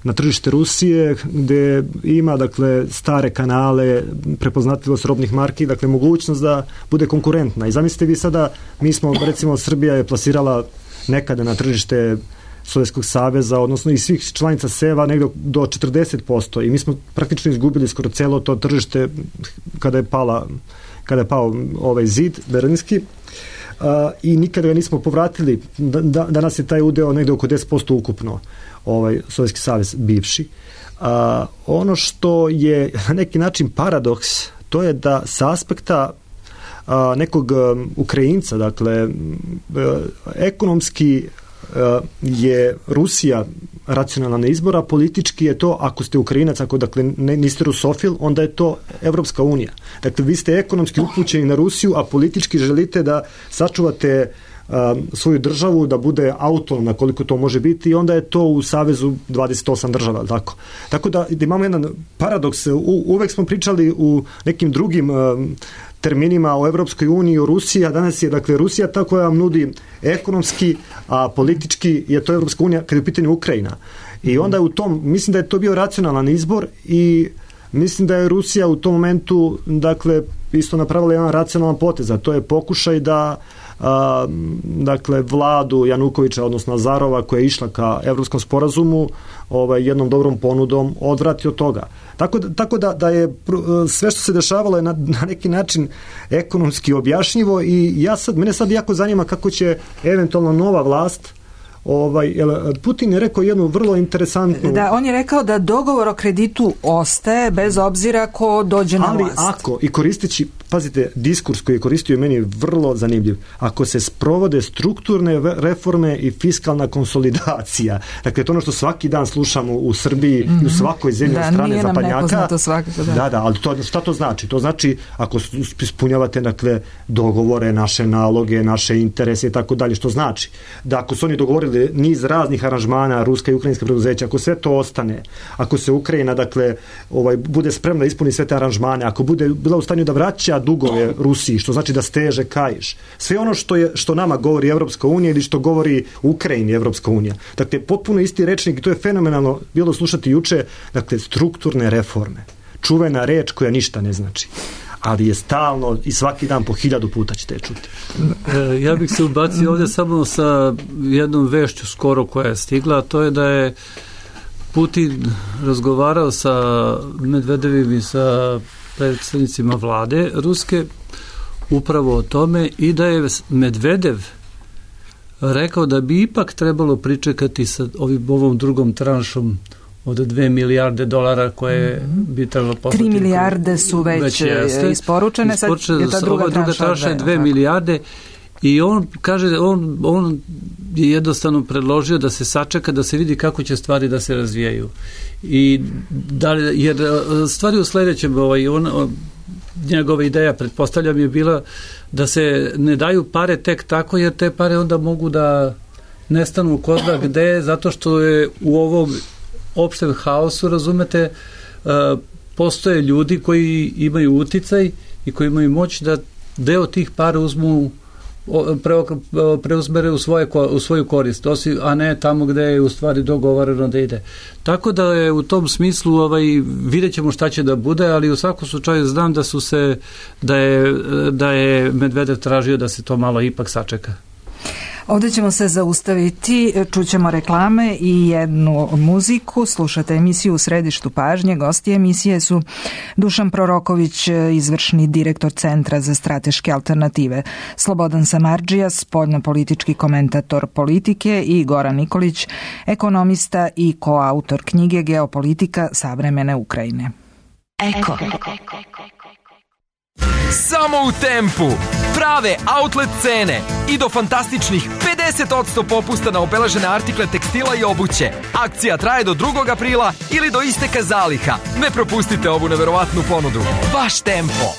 na tržište Rusije, gde ima, dakle, stare kanale, prepoznatljivost robnih marki, dakle, mogućnost da bude konkurentna. I zamislite vi sada, recimo, Srbija je plasirala nekada na tržište Sovjetskog saveza, odnosno i svih članica SEV-a negdje do 40% i mi smo praktično izgubili skoro celo to tržište kada je pao ovaj zid berlinski i nikada ga nismo povratili. Danas je taj udeo negdje oko 10% ukupno, Sovjetski savez bivši. Ono što je na neki način paradoks, to je da sa aspekta nekog Ukrajinca, dakle, ekonomski je Rusija racionalna izbora, politički je to, ako ste Ukrajinac, ako dakle niste rusofil, onda je to Evropska unija. Dakle, vi ste ekonomski upućeni na Rusiju, a politički želite da sačuvate svoju državu, da bude autonomna koliko to može biti i onda je to u savezu 28 država, tako da imamo jedan paradoks. Uvek smo pričali u nekim drugim terminima o Evropskoj uniji, o Rusiji, a danas je, dakle, Rusija ta koja vam nudi ekonomski, a politički je to Evropska unija kada je u pitanju Ukrajina. I onda je mislim da je to bio racionalan izbor i mislim da je Rusija u tom momentu, dakle, isto napravila jedan racionalan potez, a to je pokušaj da dakle, vladu Janukovića, odnosno Azarova, koja je išla ka evropskom sporazumu, jednom dobrom ponudom odvrati od toga. Tako da je sve što se dešavalo je na neki način ekonomski objašnjivo i mene sad jako zanima kako će eventualno nova vlast. Putin je rekao jednu vrlo interesantnu... Da, on je rekao da dogovor o kreditu ostaje bez obzira ko dođe na vlast. Ali ako, i koristeći, pazite, diskurs koji je koristio meni vrlo zanimljiv, ako se sprovode strukturne reforme i fiskalna konsolidacija, dakle to ono što svaki dan slušamo u Srbiji i u svakoj zemlji od strane zapadnjaka. Da, ali šta to znači? To znači ako ispunjavate, dakle, dogovore, naše naloge, naše interese i tako dalje, što znači da ako su oni dogovorili bude niz raznih aranžmana ruska i ukrajinska preduzeća, ako sve to ostane, ako se Ukrajina, dakle, bude spremna da ispuni sve te aranžmane, ako bude bila u stanju da vraća dugove Rusiji, što znači da steže kaiš, sve ono što nama govori Evropska unija ili što govori Ukrajini Evropska unija. Dakle, potpuno isti rečnik i to je fenomenalno bilo slušati juče, dakle, strukturne reforme. Čuvena reč koja ništa ne znači, ali je stalno i svaki dan po 1000 puta ćete čuti. Ja bih se ubacio ovdje samo sa jednom vešću skoro koja je stigla, a to je da je Putin razgovarao sa Medvedevim i sa predstavnicima vlade Ruske upravo o tome i da je Medvedev rekao da bi ipak trebalo pričekati sa ovom drugom tranšom od 2 milijarde dolara koje bi trebalo poslati. 3 milijarde su već isporučene, sad je ta druga tranša je 2 milijarde i on kaže, on je jednostavno predložio da se sačeka, da se vidi kako će stvari da se razvijaju. I jer stvari u sledećem, njegova ideja, pretpostavljam, je bila da se ne daju pare tek tako, jer te pare onda mogu da nestanu ko zna gde, zato što je u ovom opštem haosu, razumete, postoje ljudi koji imaju uticaj i koji imaju moć da deo tih para preuzmere u svoju korist, a ne tamo gde je u stvari dogovoreno da ide. Tako da je u tom smislu vidjet ćemo šta će da bude, ali u svakom slučaju znam da je Medvedev tražio da se to malo ipak sačeka. Ovdje ćemo se zaustaviti, čućemo reklame i jednu muziku. Slušate emisiju U središtu pažnje. Gosti emisije su Dušan Proroković, izvršni direktor Centra za strateške alternative, Slobodan Samardžija, spoljnopolitički komentator politike, i Goran Nikolić, ekonomista i koautor knjige Geopolitika savremene Ukrajine. Eko. Samo u Tempu. Prave outlet cene i do fantastičnih 50% popusta na obeležene artikle tekstila i obuće. Akcija traje do 2. aprila ili do isteka zaliha. Ne propustite ovu neverovatnu ponudu. Baš Tempo.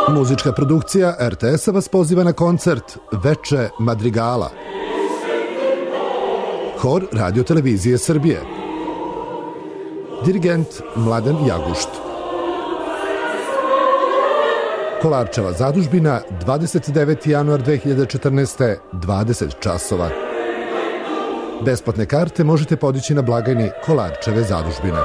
Muzička produkcija RTS-a vas poziva na koncert Veče Madrigala. Hor Radio-televizije Srbije. Dirigent Mladen Jagušt. Kolarčeva zadužbina, 29. januar 2014. 20 časova. Besplatne karte možete podići na blagajni Kolarčeve zadužbine.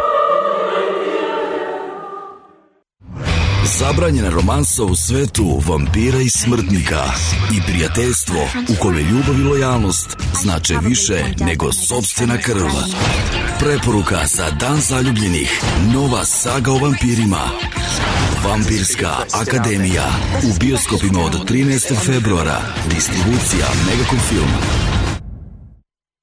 Zabranjena romansa u svetu vampira i smrtnika i prijateljstvo u kome ljubav i lojalnost znače više nego sopstvena krv. Preporuka za Dan zaljubljenih. Nova saga o vampirima. Vampirska akademija. U bioskopima od 13. februara. Distribucija Megacom Film.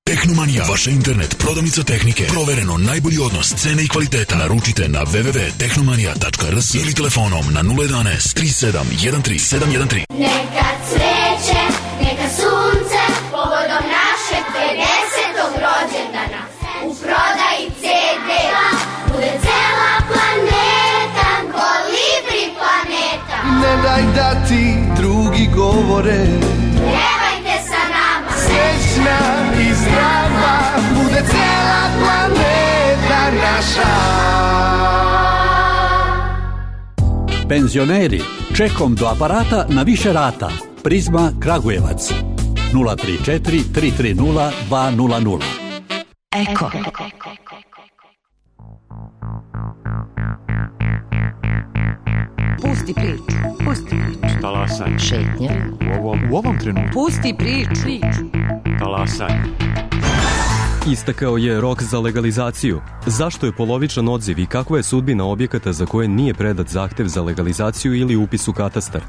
Tehnomanija, vaša internet prodavnica tehnike. Provereno najbolji odnos cene i kvaliteta. Naručite na www.tehnomanija.rs ili telefonom na 011 3713 713. Neka cveće, neka sunce, povodom našeg 50. rođendana. U prodaji CD-a bude cela planeta, Kolibri planeta. Ne daj da ti drugi govore, pjevajte sa nama. Srećna i zdrava bude cela planeta naša. Penzioneri, čekom do aparata na više rata. Prizma Kragujevac 034 330 200. Eko. Pusti priču. Pusti priču. Talasaj. Šetnja. U ovom trenutku. Pusti priču. Talasaj. Istakao je rok za legalizaciju. Zašto je polovičan odziv i kakva je sudbina objekata za koje nije predat zahtev za legalizaciju ili upis u katastar?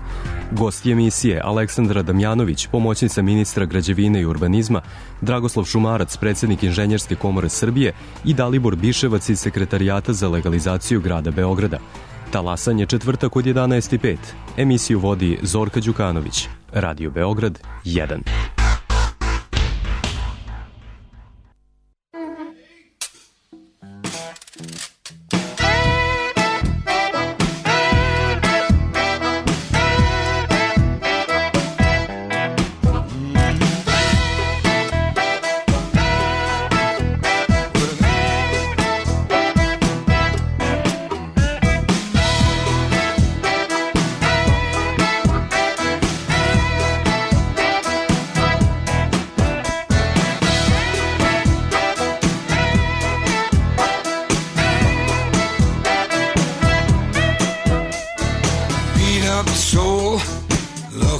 Gosti emisije Aleksandra Damjanović, pomoćnica ministra građevine i urbanizma, Dragoslav Šumarac, predsjednik Inženjerske komore Srbije i Dalibor Biševac iz Sekretarijata za legalizaciju grada Beograda. Talasanje četvrtak od 11:05. Emisiju vodi Zorka Đukanović. Radio Beograd 1.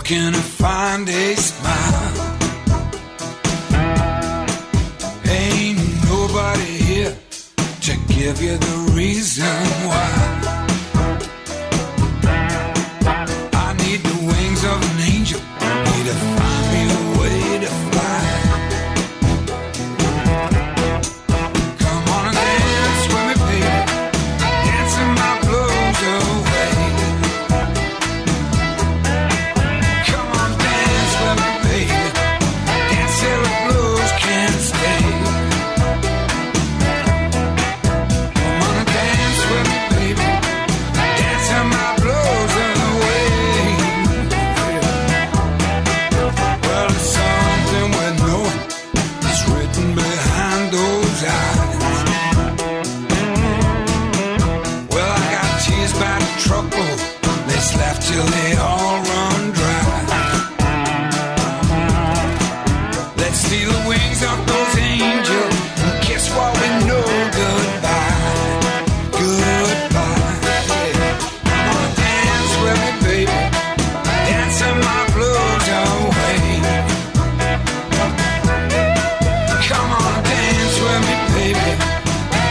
looking to find a smile. Ain't nobody here to give you the reason why. I need the wings of an angel, need to find me a way to fly. Come on and dance with me, baby, dancing my blues away. Come on, dance with me, baby, dance till the blues can't stay. Come on and dance with me, baby, dancing my blues away. Well, it's something we know is written behind those eyes. Well, I got tears by the truckload, let's laugh till they all run dry. Let's steal the wings off those angels and kiss what we know goodbye. Goodbye. Come on, dance with me, baby, dancing my blues away. Come on, dance with me, baby,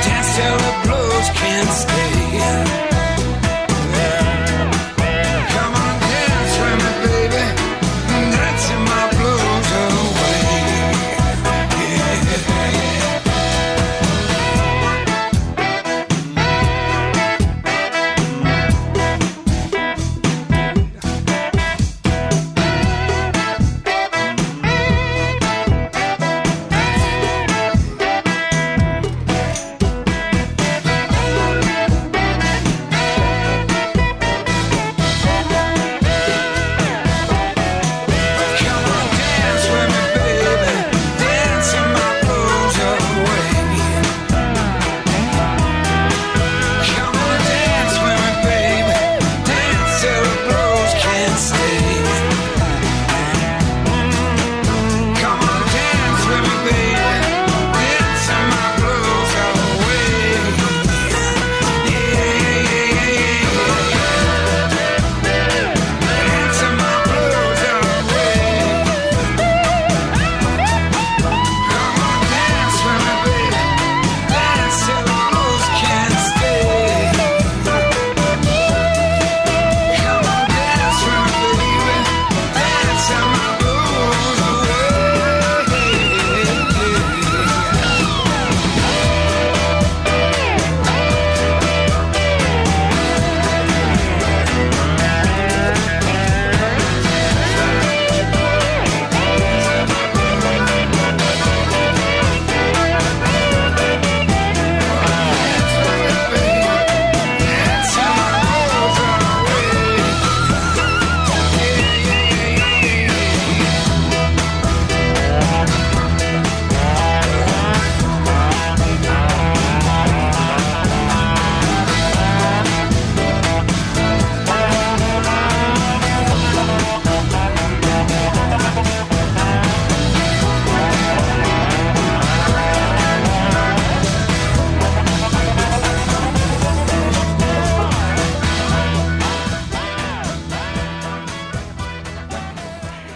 dance till the blues can't stay. Come on, dance with me, baby, dancing my blues away. Come on, dance with me, baby, dancing my blues away. Come on, dance with me, baby, dance till the blues can't stay. Come on, dance with me, baby, dancing my blues away. Dancing my blues away. Come on, dance with me, baby, dance till the blues can't stay. Come on, dance with me, baby, dancing my blues away.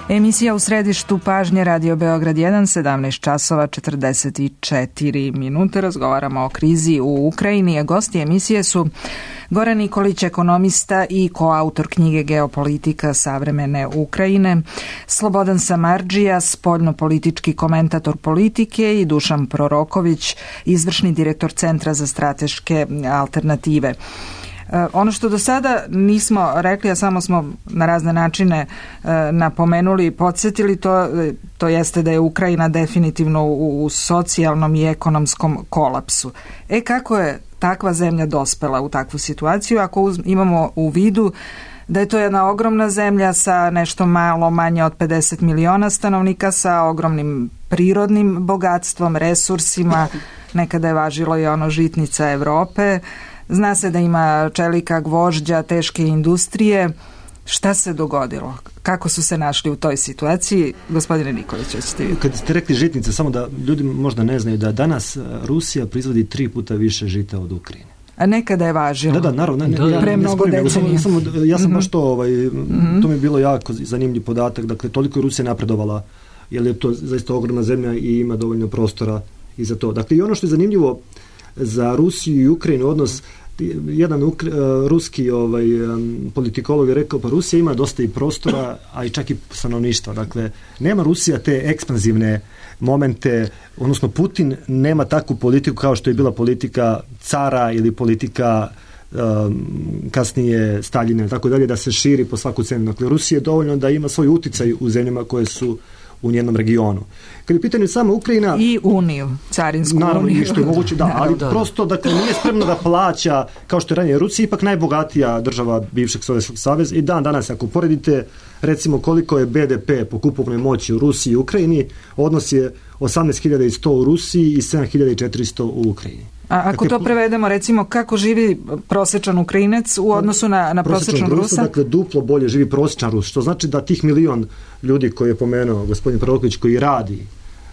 Emisija u središtu pažnje Radio Beograd 1, 17 časova 44 minute. Razgovaramo o krizi u Ukrajini, a gosti emisije su Goran Nikolić, ekonomista i koautor knjige Geopolitika savremene Ukrajine, Slobodan Samardžija, spoljnopolitički komentator politike i Dušan Proroković, izvršni direktor Centra za strateške alternative. Ono što do sada nismo rekli, a samo smo na razne načine napomenuli i podsjetili, to jeste da je Ukrajina definitivno u socijalnom i ekonomskom kolapsu. Kako je takva zemlja dospela u takvu situaciju ako imamo u vidu da je to jedna ogromna zemlja sa nešto malo manje od 50 miliona stanovnika, sa ogromnim prirodnim bogatstvom, resursima, nekada je važilo i ono žitnica Evrope. Zna se da ima čelika, gvožđa, teške industrije. Šta se dogodilo? Kako su se našli u toj situaciji? Gospodine Nikolić, hoćete vi? Kad ste rekli žitnice, samo da ljudi možda ne znaju da danas Rusija proizvodi 3 puta više žita od Ukrajine. nekada je važilo. Da, naravno. Pre mnogo decenija. Ja sam baš to, to mi je bilo jako zanimljiv podatak, dakle, toliko je Rusija napredovala, jer je to zaista ogromna zemlja i ima dovoljno prostora i za to. Dakle, i ono što je zanimljivo za Rusiju i Ukrajinu odnos, jedan ruski politikolog je rekao, pa Rusija ima dosta i prostora, a i čak i stanovništva. Dakle, nema Rusija te ekspanzivne momente, odnosno Putin nema takvu politiku kao što je bila politika cara ili politika kasnije Staljina, tako dalje, da se širi po svaku cenu. Dakle, Rusija je dovoljno da ima svoj uticaj u zemljama koje su u njenom regionu. Kad je u pitanju sama Ukrajina... I uniju, carinsku uniju. Naravno, što je moguće, da, ali prosto, dakle, nije spremno da plaća, kao što je ranije Rusija, ipak najbogatija država bivšeg Sovjetskog saveza i danas, ako poredite, recimo, koliko je BDP po kupovnoj moći u Rusiji i Ukrajini, odnos je 18.100 u Rusiji i 7.400 u Ukrajini. A ako to prevedemo, recimo, kako živi prosječan Ukrajinac u odnosu na prosječnog Rusa? Dakle, duplo bolje živi prosječan Rus, što znači da tih 1 milion ljudi koji je pomenuo gospodin Proroković, koji radi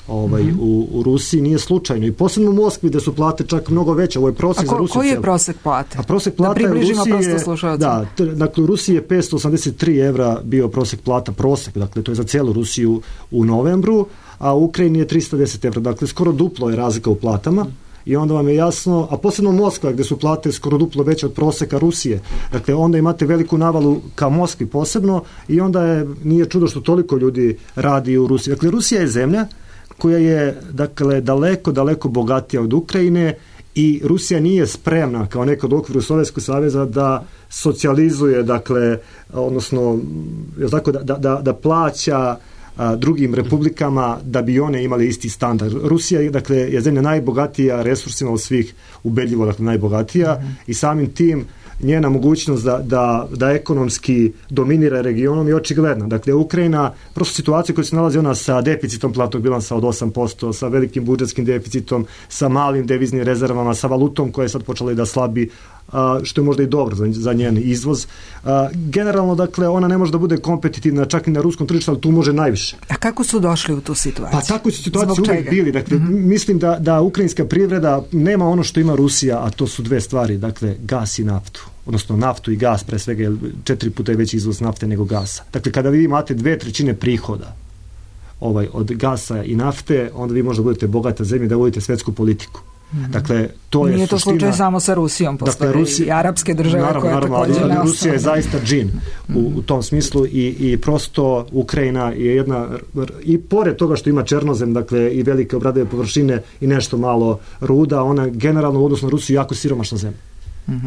u Rusiji, nije slučajno. I posebno u Moskvi, gde su plate čak mnogo veće. Ovo je prosjek za Rusiju. Koji je prosjek plate? A prosjek plate da približimo prosto slušalcima. Da, dakle, u Rusiji je 583 evra bio prosjek plata, dakle, to je za cijelu Rusiju u novembru, a u Ukrajini je 310 evra. Dakle, skoro duplo je razlika u platama. I onda vam je jasno, a posebno Moskva, gde su plate skoro duplo veće od proseka Rusije. Dakle, onda imate veliku navalu ka Moskvi posebno i onda nije čudo što toliko ljudi radi u Rusiji. Dakle, Rusija je zemlja koja je, dakle, daleko bogatija od Ukrajine i Rusija nije spremna, kao nekad u okviru Sovjetskog saveza, da socijalizuje, dakle, odnosno, da plaća drugim republikama da bi one imali isti standard. Rusija, dakle, je zemlja najbogatija resursima od svih, ubedljivo, dakle, najbogatija i samim tim njena mogućnost da ekonomski dominira regionom je očigledna. Dakle, Ukrajina, prosto situacija koja se nalazi ona sa deficitom platnog bilansa od 8%, sa velikim budžetskim deficitom, sa malim deviznim rezervama, sa valutom koja je sad počela i da slabi, što je možda i dobro za njen izvoz. Generalno, dakle, ona ne može da bude kompetitivna čak i na ruskom tržištu, ali tu može najviše. A kako su došli u tu situaciju? Pa tako su situacije uvijek bili. Dakle, mislim da ukrajinska privreda nema ono što ima Rusija, a to su dve stvari, dakle, gas i naftu. Odnosno naftu i gas, pre svega, 4 puta je veći izvoz nafte nego gasa. Dakle, kada vi imate 2/3 prihoda od gasa i nafte, onda vi možda budete bogata zemlja da vodite svetsku politiku. Dakle, to je nije to slučaj samo sa Rusijom, postoje i arapske države koje također ne. Rusija je zaista džin u tom smislu i prosto Ukrajina je jedna, i pored toga što ima černozem, dakle, i velike obradive površine i nešto malo ruda, ona generalno u odnosu na Rusiju jako siromašna zemlja.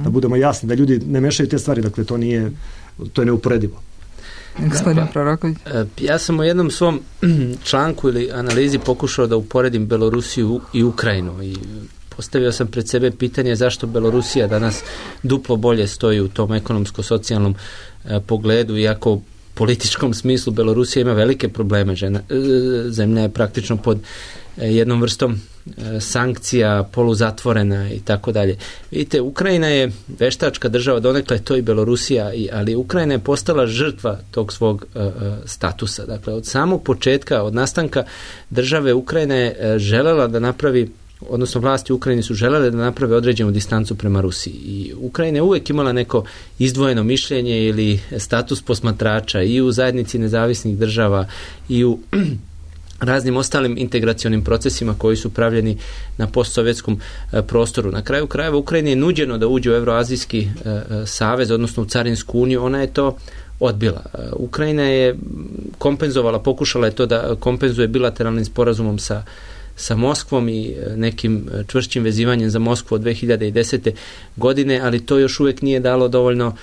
Da budemo jasni, da ljudi ne mešaju te stvari, dakle, to je neuporedivo. Gospodin Proroković. Ja sam u jednom svom članku ili analizi pokušao da uporedim Belorusiju i Ukrajinu i postavio sam pred sebe pitanje zašto Belorusija danas duplo bolje stoji u tom ekonomsko-socijalnom pogledu, iako u političkom smislu Belorusija ima velike probleme. Zemlja je praktično pod jednom vrstom sankcija, poluzatvorena i tako dalje. Vidite, Ukrajina je veštačka država, donekle to i Belorusija, ali Ukrajina je postala žrtva tog svog statusa. Dakle, od samog početka, od nastanka države, Ukrajina je želela da napravi, odnosno vlasti u Ukrajini su želele da naprave određenu distancu prema Rusiji. I Ukrajina je uvijek imala neko izdvojeno mišljenje ili status posmatrača i u zajednici nezavisnih država i u raznim ostalim integracionim procesima koji su pravljeni na postsovjetskom prostoru. Na kraju krajeva Ukrajini je nuđeno da uđe u Euroazijski savez, odnosno u Carinsku uniju, ona je to odbila. Ukrajina je kompenzovala, pokušala je to da kompenzuje bilateralnim sporazumom sa Moskvom i nekim čvršćim vezivanjem za Moskvu od 2010. godine, ali to još uvijek nije dalo dovoljno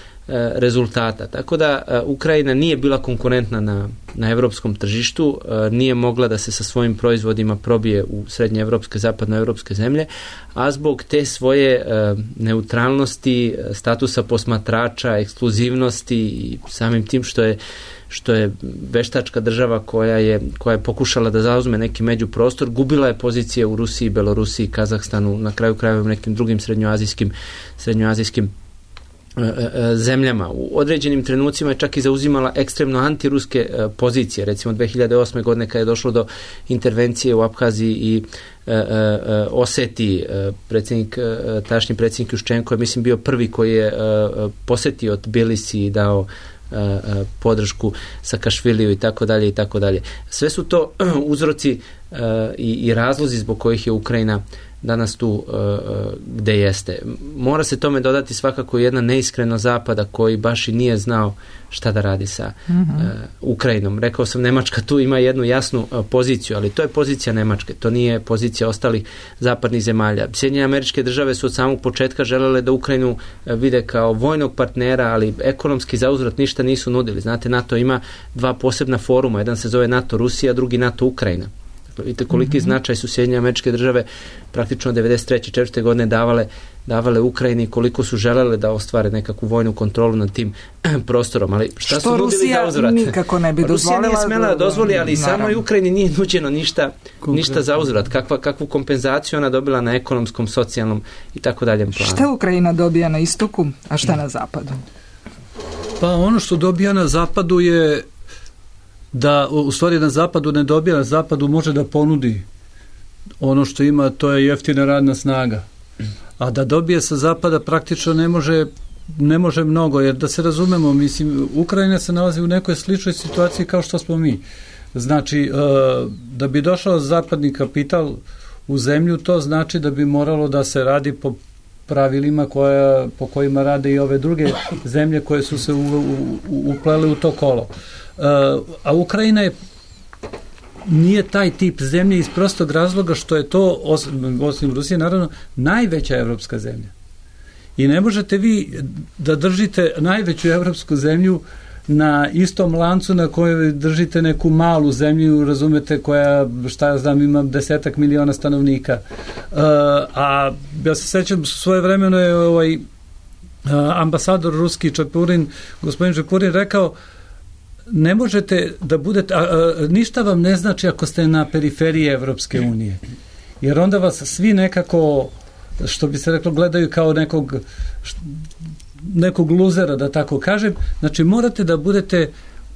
rezultata. Tako da Ukrajina nije bila konkurentna na europskom tržištu, nije mogla da se sa svojim proizvodima probije u srednjeevropske, zapadnoevropske zemlje, a zbog te svoje neutralnosti, statusa posmatrača, ekskluzivnosti i samim tim što je veštačka država koja je pokušala da zauzme neki međuprostor, gubila je pozicije u Rusiji, Belorusiji, Kazahstanu, na kraju krajeva u nekim drugim srednjoazijskim zemljama. U određenim trenucima je čak i zauzimala ekstremno antiruske pozicije. Recimo 2008. godine kada je došlo do intervencije u Abhaziji i Osetiji, tašnji predsjednik Juščenko je mislim bio prvi koji je posetio Tbilisi i dao podršku Sakašviliju i tako dalje i tako dalje. Sve su to uzroci i razlozi zbog kojih je Ukrajina danas tu gde jeste. Mora se tome dodati svakako jedna neiskrenost Zapada koji baš i nije znao šta da radi sa Ukrajinom. Rekao sam, Nemačka tu ima jednu jasnu poziciju, ali to je pozicija Nemačke, to nije pozicija ostalih zapadnih zemalja. Sjedinjene Američke Države su od samog početka želele da Ukrajinu vide kao vojnog partnera, ali ekonomski zauzvrat ništa nisu nudili. Znate, NATO ima dva posebna foruma, jedan se zove NATO Rusija, drugi NATO Ukrajina. Vidite koliki značaj su Sjedinjene Američke Države praktično 93. 4. godine davale Ukrajini, koliko su želele da ostvare nekakvu vojnu kontrolu nad tim prostorom, ali šta su nudili za uzvrat? Nikako ne bi dozvolila. Rusija nije smela da dozvoli, ali samoj Ukrajini nije nuđeno ništa za uzvrat. Kakvu kompenzaciju ona dobila na ekonomskom, socijalnom i tako daljem planu. Šta Ukrajina dobija na istoku, a šta na zapadu? Pa ono što dobija na zapadu je da u stvari na zapadu ne dobija, na zapadu može da ponudi ono što ima, to je jeftina radna snaga. A da dobije sa zapada praktično ne može mnogo, jer da se razumemo, mislim, Ukrajina se nalazi u nekoj sličnoj situaciji kao što smo mi. Znači, da bi došao zapadni kapital u zemlju, to znači da bi moralo da se radi po pravilima po kojima rade i ove druge zemlje koje su se uplele u to kolo. A Ukrajina nije taj tip zemlje iz prostog razloga što je to, osim Rusije, naravno, najveća evropska zemlja. I ne možete vi da držite najveću evropsku zemlju na istom lancu na kojoj držite neku malu zemlju, razumete, koja, šta ja znam, ima 10 miliona stanovnika. A ja se sećam, svoje vremeno je ambasador ruski gospodin Čapurin rekao, ne možete da budete, ništa vam ne znači ako ste na periferiji Evropske unije, jer onda vas svi nekako, što bi se reklo, gledaju kao nekog luzera, da tako kažem. Znači morate da budete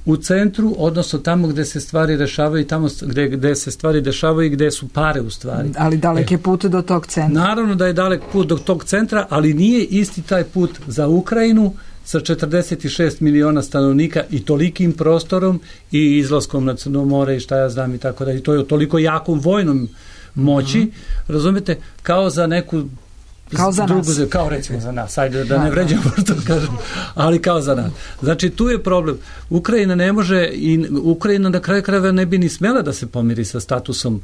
u centru, odnosno tamo gde se stvari rešavaju i tamo gde se stvari dešavaju i gde su pare u stvari. Ali dalek je put do tog centra. Naravno da je dalek put do tog centra, ali nije isti taj put za Ukrajinu sa 46 miliona stanovnika i tolikim prostorom i izlaskom na Crno more i šta ja znam i tako da. I to je toliko jakom vojnom moći, razumete, kao za neku kao recimo za nas, ajde da ne vređamo što kažem, ali kao za nas. Znači tu je problem. Ukrajina ne može i Ukrajina na kraju krajeva ne bi ni smela da se pomiri sa statusom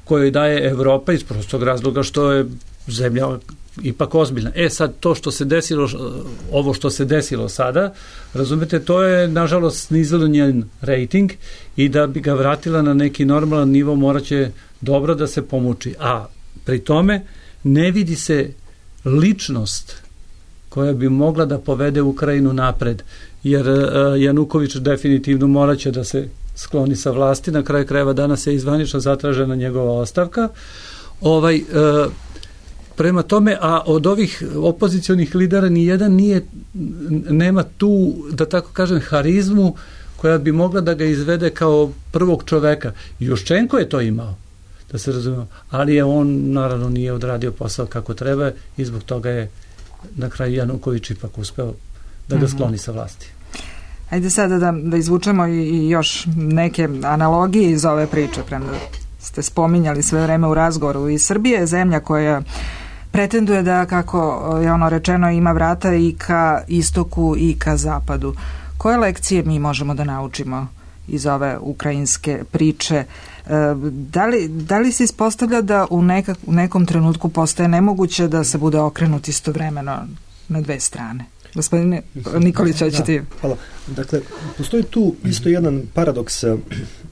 koji daje Evropa iz prostog razloga što je zemlja ipak ozbiljna. Sad to što se desilo, ovo što se desilo sada, razumete, to je nažalost snizilo njen rating i da bi ga vratila na neki normalan nivo moraće dobro da se pomuči. A pri tome ne vidi se ličnost koja bi mogla da povede Ukrajinu napred, jer Januković definitivno moraće da se skloni sa vlasti, na kraju krajeva danas je izvanično zatražena njegova ostavka. Prema tome, a od ovih opozicionih lidera nijedan nema tu, da tako kažem, harizmu koja bi mogla da ga izvede kao prvog čoveka. Juščenko je to imao, da se razumemo, ali on naravno nije odradio posao kako treba i zbog toga je na kraju Januković ipak uspeo da ga skloni sa vlasti. Ajde sada da izvučemo i još neke analogije iz ove priče, premda ste spominjali sve vreme u razgovoru. I Srbija je zemlja koja pretenduje da, kako je ono rečeno, ima vrata i ka istoku i ka zapadu. Koje lekcije mi možemo da naučimo iz ove ukrajinske priče? Da li se ispostavlja da u nekom trenutku postaje nemoguće da se bude okrenut istovremeno na dve strane? Gospodine Nikolić, hoćete? Hvala. Dakle, postoji tu isto jedan paradoks.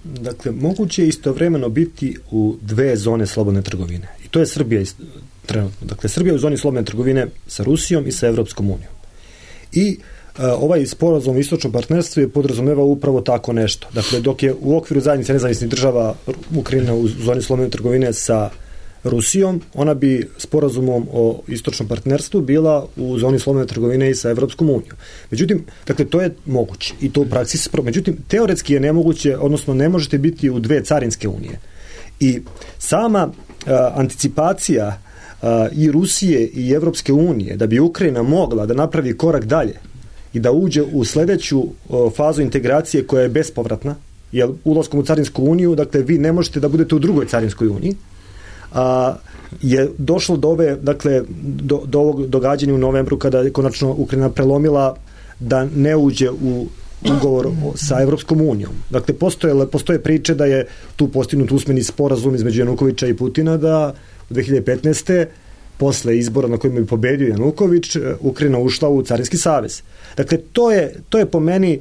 Dakle, moguće je istovremeno biti u dve zone slobodne trgovine. I to je Srbija trenutno. Dakle, Srbija je u zoni slobodne trgovine sa Rusijom i sa Evropskom unijom. I ovaj sporazum o istočnom partnerstvu je podrazumeva upravo tako nešto. Dakle, dok je u okviru zajednice nezavisnih država Ukrajina u zoni slobodne trgovine sa Rusijom, ona bi sporazumom o istočnom partnerstvu bila u zoni slobodne trgovine i sa Evropskom unijom. Međutim, dakle, to je moguće i to u praksi se međutim, teoretski je nemoguće, odnosno ne možete biti u dve carinske unije. I sama anticipacija i Rusije i Evropske unije da bi Ukrajina mogla da napravi korak dalje i da uđe u sledeću fazu integracije koja je bespovratna, jer ulaskom u carinsku uniju, dakle, vi ne možete da budete u drugoj carinskoj uniji, je došlo do ove, dakle, do ovog događanja u novembru kada je konačno Ukrajina prelomila da ne uđe u ugovor sa Evropskom unijom. Dakle, postoje priče da je tu postignut usmeni sporazum između Janukovića i Putina da u 2015. posle izbora na kojima bi pobedio Januković, Ukrajina ušla u Carinski savez. Dakle, to je po meni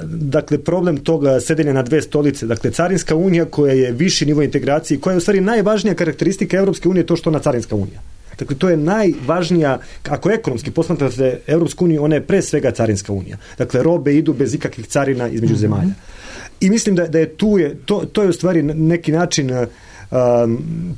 dakle, problem toga sedenja na dve stolice. Dakle, Carinska unija koja je viši nivo integracije, koja je u stvari najvažnija karakteristika Evropske unije, to što ona Carinska unija. Dakle, to je najvažnija, ako ekonomski posmatrate Evropsku uniju, ona je pre svega Carinska unija. Dakle, robe idu bez ikakvih carina između zemalja. I mislim da je to je u stvari neki način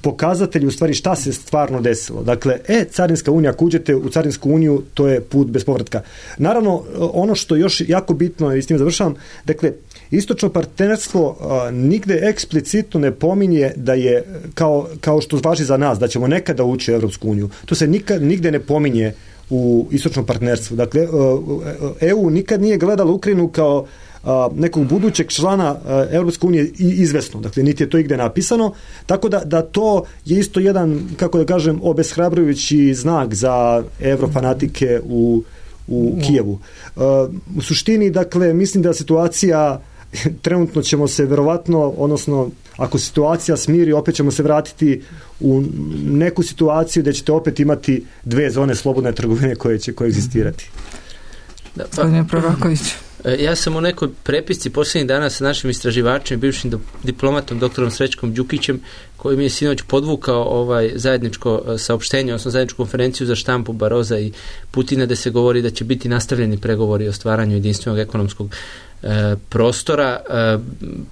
pokazatelji u stvari šta se stvarno desilo. Dakle, Carinska unija, ako uđete u Carinsku uniju, to je put bez povratka. Naravno, ono što još jako bitno, i s tim završavam, dakle, istočno partnerstvo nigde eksplicitno ne pominje da je, kao što važi za nas, da ćemo nekada ući u Evropsku uniju. To se nigde ne pominje u istočnom partnerstvu. Dakle, EU nikad nije gledala Ukrajinu kao nekog budućeg člana Evropske unije izvesno. Dakle, niti je to igde napisano. Tako da to je isto jedan, kako da kažem, obeshrabrujući znak za evrofanatike u Kijevu. U suštini, dakle, mislim da situacija, trenutno ćemo se verovatno, odnosno ako situacija smiri, opet ćemo se vratiti u neku situaciju gde ćete opet imati dve zone slobodne trgovine koje će koegzistirati. Gospodine Proroković. Ja sam u nekoj prepisci posljednjih dana sa našim istraživačem, bivšim diplomatom, doktorom Srećkom Đukićem, koji mi je sinoć podvukao zajedničko saopštenje, odnosno zajedničku konferenciju za štampu Baroza i Putina, da se govori da će biti nastavljeni pregovori o stvaranju jedinstvenog ekonomskog prostora.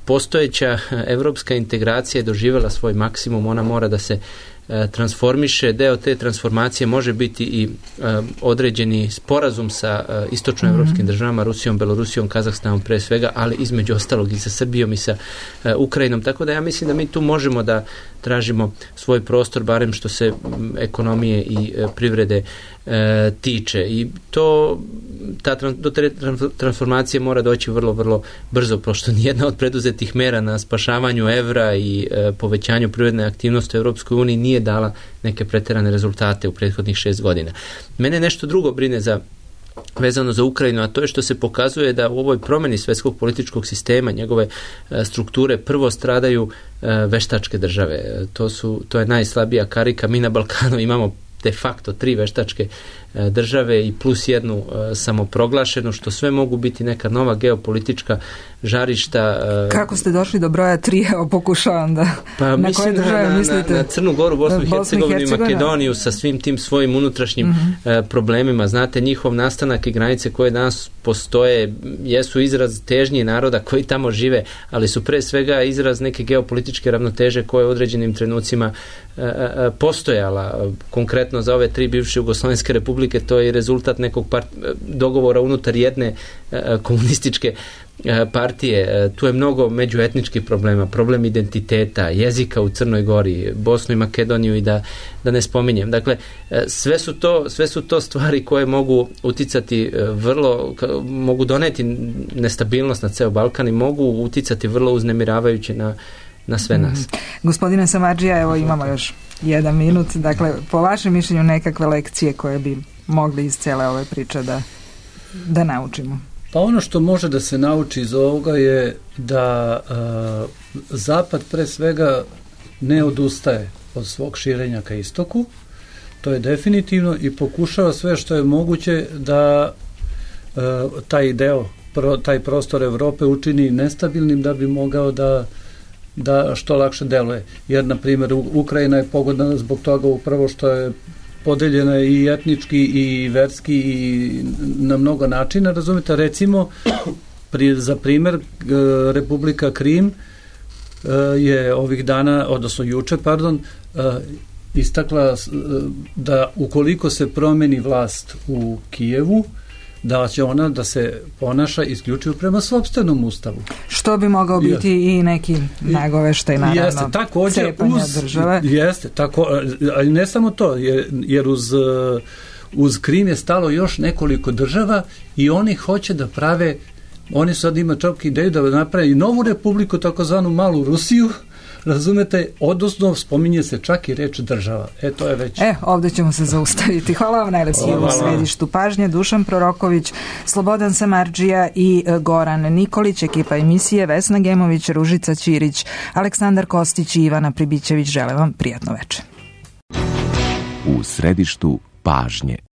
Postojeća evropska integracija je doživjela svoj maksimum, ona mora da se transformiše. Deo te transformacije može biti i određeni sporazum sa istočnoevropskim državama, Rusijom, Belorusijom, Kazahstanom pre svega, ali između ostalog i sa Srbijom i sa Ukrajinom. Tako da ja mislim da mi tu možemo da tražimo svoj prostor, barem što se ekonomije i privrede tiče. I do te transformacije mora doći vrlo, vrlo brzo, pošto nijedna od preduzetih mera na spašavanju evra i povećanju privredne aktivnosti u Europskoj uniji nije dala neke preterane rezultate u prethodnih 6 godina. Mene nešto drugo brine vezano za Ukrajinu, a to je što se pokazuje da u ovoj promjeni svetskog političkog sistema, njegove strukture, prvo stradaju veštačke države. To je najslabija karika. Mi na Balkanu imamo de facto 3 veštačke države i plus jednu samoproglašenu, što sve mogu biti neka nova geopolitička žarišta. Kako ste došli do broja 3? Evo, pokušavam da... Pa na koje države mislite? Na Crnu Goru, Bosnu i Hercegovinu i Makedoniju sa svim tim svojim unutrašnjim problemima. Znate, njihov nastanak i granice koje danas postoje jesu izraz težnje naroda koji tamo žive, ali su pre svega izraz neke geopolitičke ravnoteže koje u određenim trenucima postojala. Konkretno za ove 3 bivše jugoslovenske republike, to je rezultat nekog dogovora unutar jedne komunističke partije. Tu je mnogo međuetničkih problema, problem identiteta, jezika u Crnoj Gori, Bosnu i Makedoniju i da ne spominjem. Dakle, sve su to stvari koje mogu uticati mogu doneti nestabilnost na ceo Balkan i mogu uticati vrlo uznemiravajuće na sve nas. Gospodine Samardžija, evo imamo još 1 minut. Dakle, po vašem mišljenju nekakve lekcije koje bi mogli iz cele ove priče da naučimo? Pa ono što može da se nauči iz ovoga je da Zapad pre svega ne odustaje od svog širenja ka istoku, to je definitivno, i pokušava sve što je moguće da taj prostor Evrope učini nestabilnim da bi mogao da što lakše deluje. Jer, na primjer, Ukrajina je pogodna zbog toga upravo što je podeljena i etnički i verski i na mnogo načina, razumite. Recimo, za primjer, Republika Krim je ovih dana, odnosno juče, istakla da ukoliko se promeni vlast u Kijevu, da će ona da se ponaša isključivo prema sopstvenom ustavu. Što bi mogao biti i neki nagoveštaj, naravno, jeste, također države. Jeste, ali ne samo to, jer uz Krim je stalo još nekoliko država i oni hoće da prave, oni sad ima čak ideju da naprave i novu republiku, takozvanu malu Rusiju, razumete, odnosno spominje se čak i reč država. To je već... ovdje ćemo se zaustaviti. Hvala vam najlepši u središtu pažnje. Dušan Proroković, Slobodan Samardžija i Goran Nikolić, ekipa emisije Vesna Gemović, Ružica Ćirić, Aleksandar Kostić i Ivana Pribićević. Želim vam prijatno večer. U središtu pažnje.